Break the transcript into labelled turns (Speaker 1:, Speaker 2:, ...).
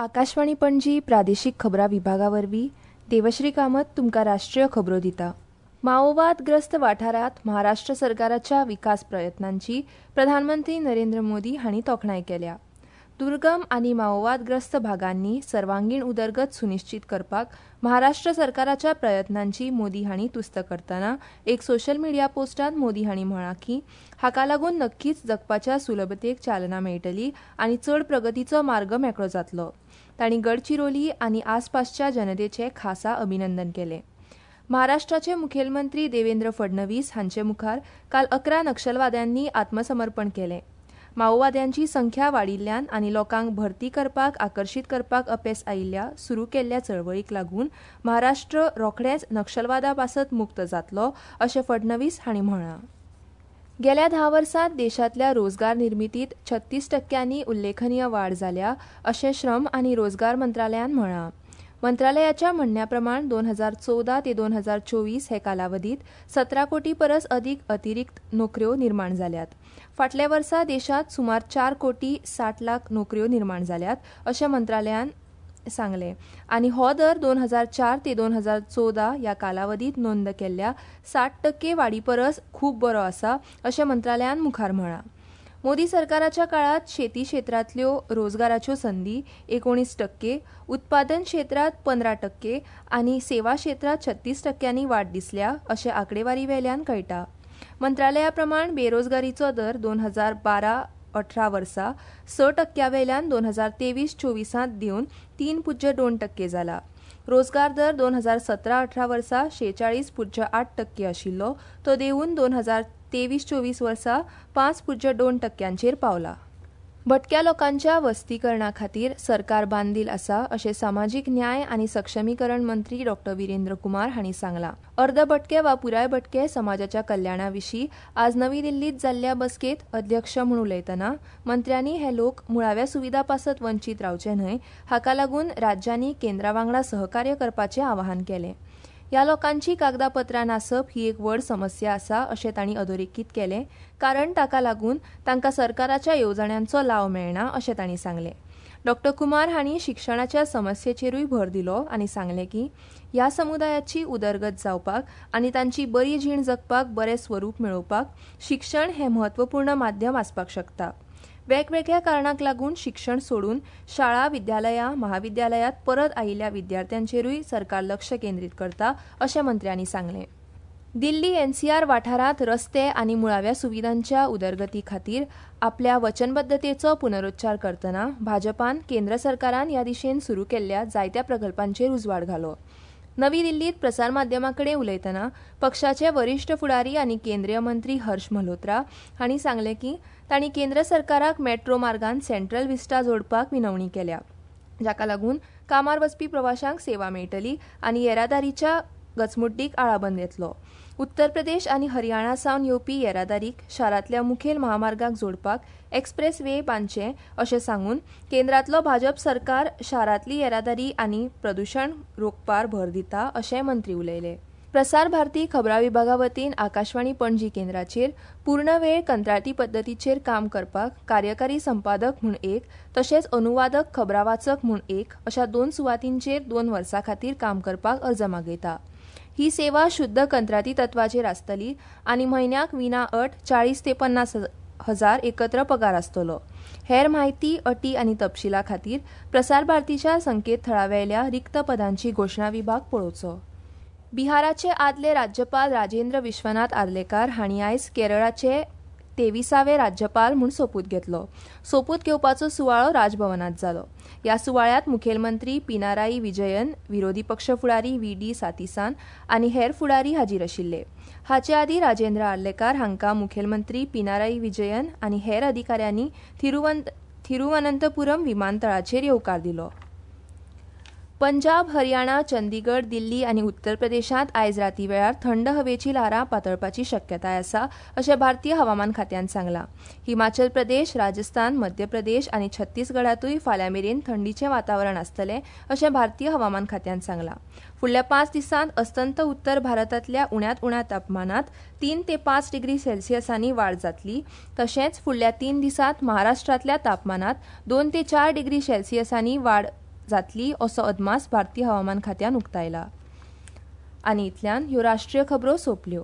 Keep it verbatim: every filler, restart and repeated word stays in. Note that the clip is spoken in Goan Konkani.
Speaker 1: आकाशवाणी पणजी प्रादेशीक खबरां विभागा वरवीं देवश्री कामत तुमकां राष्ट्रीय खबरो दिता. माओवादग्रस्त वाठारांत महाराष्ट्र सरकाराच्या विकास प्रयत्नांची प्रधानमंत्री नरेंद्र मोदी हांणी तोखणाय केल्या. दुर्गम आनी माओवादग्रस्त भागांनी सर्वांगीण उदरगत सुनिश्चीत करपाक महाराष्ट्र सरकाराच्या प्रयत्नांची मोदी हांणी तुस्त करतना एक सोशल मिडिया पोस्टांत मोदी हांणी म्हळां की हाका लागून नक्कीच जगपाच्या सुलभतेक चालना मेळटली आनी चड प्रगतीचो मार्ग मेकळो जातलो. तांणी गडचिरोली आनी आसपासच्या जनतेचे खासा अभिनंदन केलें. महाराष्ट्राचे मुखेलमंत्री देवेंद्र फडणवीस हांचे मुखार काल अकरा नक्षलवाद्यांनी आत्मसमर्पण केलें. माओवाद्यांची संख्या वाडिल्ल्यान आनी लोकांक भरती करपाक आकर्शीत करपाक अपेस आयिल्ल्या सुरू केल्ल्या चळवळीक लागून महाराष्ट्र रोखडेंच नक्षलवादा पासत मुक्त जातलो अशें फडणवीस हांणी म्हळां. गेल्या धा वर्सांत देशांतल्या रोजगार निर्मितीत छत्तीस टक्क्यांनी उल्लेखनीय वाड जाल्या अशें श्रम आनी रोजगार मंत्रालयान म्हळां. मंत्रालयाच्या म्हणण्या प्रमाण दोन हजार चवदा ते दोन हजार चोवीस हे कालावधीत सतरा कोटी परस अदीक अतिरिक्त नोकऱ्यो निर्माण जाल्यात. फाटल्या वर्सा देशांत सुमार चार कोटी साठ लाख नोकऱ्यो निर्माण जाल्यात अशें मंत्रालयान सांगलें आनी हो दर दोन हजार चार ते दोन हजार चवदा ह्या कालावधीत नोंद केल्ल्या साठ टक्के वाडी परस खूब बरो आसा अशें मंत्रालयान मुखार म्हळां. मोदी सरकाराच्या काळात शेती क्षेत्रांतल्यो रोजगाराच्यो संदी एकोणीस टक्के, उत्पादन क्षेत्रांत पंदरा टक्के आनी सेवा क्षेत्रांत छत्तीस टक्क्यांनी वाड दिसल्या अशें आंकडेवारी वेल्यान कळटा. मंत्रालया प्रमाण बेरोजगारीचो दर दोन हजार बारा अठरा वर्सा स टक्क्या वेल्यान दोन हजार तेवीस चोवीसांत देवन तीन पुज्य दोन टक्के जाला. रोजगार दर दोन हजार सतरा अठरा वर्सा शेचाळीस पुज्य आठ टक्के आशिल्लो तो देवून दोन हजार तेवीस चोवीस वर्सा पांच पुज्य दोन टक्क्यांचेर पावला. भटक्या लोकांच्या वस्तीकरणा खातीर सरकार बांदील आसा अशें सामाजीक न्याय आनी सक्षमीकरण मंत्री डॉ विरेंद्र कुमार हांणी सांगलां. अर्द भटके वा पुराय भटके समाजाच्या कल्याणा विशीं आज नवी दिल्लींत जाल्ल्या बसकेंत अध्यक्ष म्हूण उलयतना मंत्र्यांनी हे लोक मुळाव्या सुविधा पासत वंचीत रावचे न्हय हाका लागून राज्यांनी केंद्रा वांगडा सहकार्य करपाचें आवाहन केलें. ह्या लोकांची कागदापत्रां नासप ही एक व्हड समस्या आसा अशें तांणी अधोरेखीत केलें, कारण ताका लागून तांकां सरकाराच्या येवजण्यांचो लाव मेळना अशें तांणी सांगलें. डॉ कुमार हांणी शिक्षणाच्या समस्येचेरूय भर दिलो आनी सांगलें की ह्या समुदायाची उदरगत जावपाक आनी तांची बरी जीण जगपाक बरें स्वरूप मेळोवपाक शिक्षण हें म्हत्वपूर्ण माध्यम आसपाक शकता. वेगवेगळ्या कारणांक लागून शिक्षण सोडून शाळा, विद्यालयां, महाविद्यालयांत परत आयिल्ल्या विद्यार्थ्यांचेरूय सरकार लक्ष केंद्रीत करता अशें मंत्र्यांनी सांगलें. दिल्ली एनसीआर वाठारांत रस्ते आनी मुळाव्या सुविधांच्या उदरगती खातीर आपल्या वचनबद्धतेचो पुनरुच्चार करतना भाजपान केंद्र सरकारान ह्या दिशेन सुरू केल्ल्या जायत्या प्रकल्पांचेर उजवाड घालो. नवी दिल्लीत प्रसारमाध्यमां कडेन उलयतना पक्षाचे वरिश्ठ फुडारी आनी केंद्रीय मंत्री हर्ष मल्होत्रा हांणी सांगलें की तांणी केंद्र सरकाराक मेट्रो मार्गान सेंट्रल विस्टा जोडपाक विनवणी केल्या, जाका लागून कामार वचपी प्रवाशांक सेवा मेळटली आनी येरादारीच्या गचमुड्डीक आळाबंद येतलो. उत्तर प्रदेश आनी हरियाणा सावन येवपी येरादारीक शारांतल्या मुखेल महामार्गाक जोडपाक एक्सप्रेस वे बांदचे अशें सांगून केंद्रांतलो भाजप सरकार शारांतली येरादारी आनी प्रदुशण रोखपार भर दिता अशें मंत्री उलयले. प्रसार भारती खबरां विभागा वतीन आकाशवाणी पणजी केंद्राचेर पूर्ण वेळ कंत्राटी पद्दतीचेर काम करपाक कार्यकारी संपादक म्हूण एक तशेंच अनुवादक खबरां वाचक म्हूण एक अशा दोन सुवातींचेर दोन वर्सां खातीर काम करपाक अर्ज मागयता. ही सेवा शुद्ध कंत्राटी तत्वाचेर आसतली आनी म्हयन्याक विना अट चाळीस ते पन्नास हजार एकत्र पगार आसतलो. हेर म्हायती, अटी आनी तपशिला खातीर प्रसार भारतीच्या संकेतथळावेल्या रिक्त पदांची घोशणा विभाग पळोवचो. बिहाराचे आदले राज्यपाल राजेंद्र विश्वनाथ आर्लेकार हांणी आयज केरळाचे तेविसावे राज्यपाल म्हूण सोपूत घेतलो. सोपूत घेवपाचो सुवाळो राजभवनात जालो. ह्या सुवाळ्यांत मुखेलमंत्री पिनाराई विजयन, विरोधी पक्ष फुडारी व्ही डी सातीसान आनी हेर फुडारी हाजीर आशिल्ले. हाचे आदीं राजेंद्र आर्लेकार हांकां मुखेलमंत्री पिनाराई विजयन आनी हेर अधिकाऱ्यांनी थिरुवनंतपुरम विमानतळाचेर येवकार दिलो. पंजाब, हरियाणा, चंदीगड, दिल्ली आनी उत्तर प्रदेशांत आयज राती वेळार थंड हवेची ल्हारां पातळपाची शक्यताय आसा अशें भारतीय हवामान खात्यान सांगलां. हिमाचल प्रदेश, राजस्थान, मध्य प्रदेश आनी छत्तीसगडांतूय फाल्यां मेरेन थंडीचें वातावरण आसतलें अशें भारतीय हवामान खात्यान सांगलां. फुडल्या पांच दिसांत अस्तंत उत्तर भारतांतल्या उण्यांत उण्या तापमानांत तीन ते पांच डिग्री सेल्सियसांनी वाड जातली. तशेंच फुडल्या तीन दिसांत महाराष्ट्रांतल्या तापमानांत दोन ते चार डिग्री सेल्सियसांनी वाड जातली असो अदमास भारतीय हवामान खात्यान उक्तायला. आनी इतल्यान ह्यो राष्ट्रीय खबरो सोंपल्यो.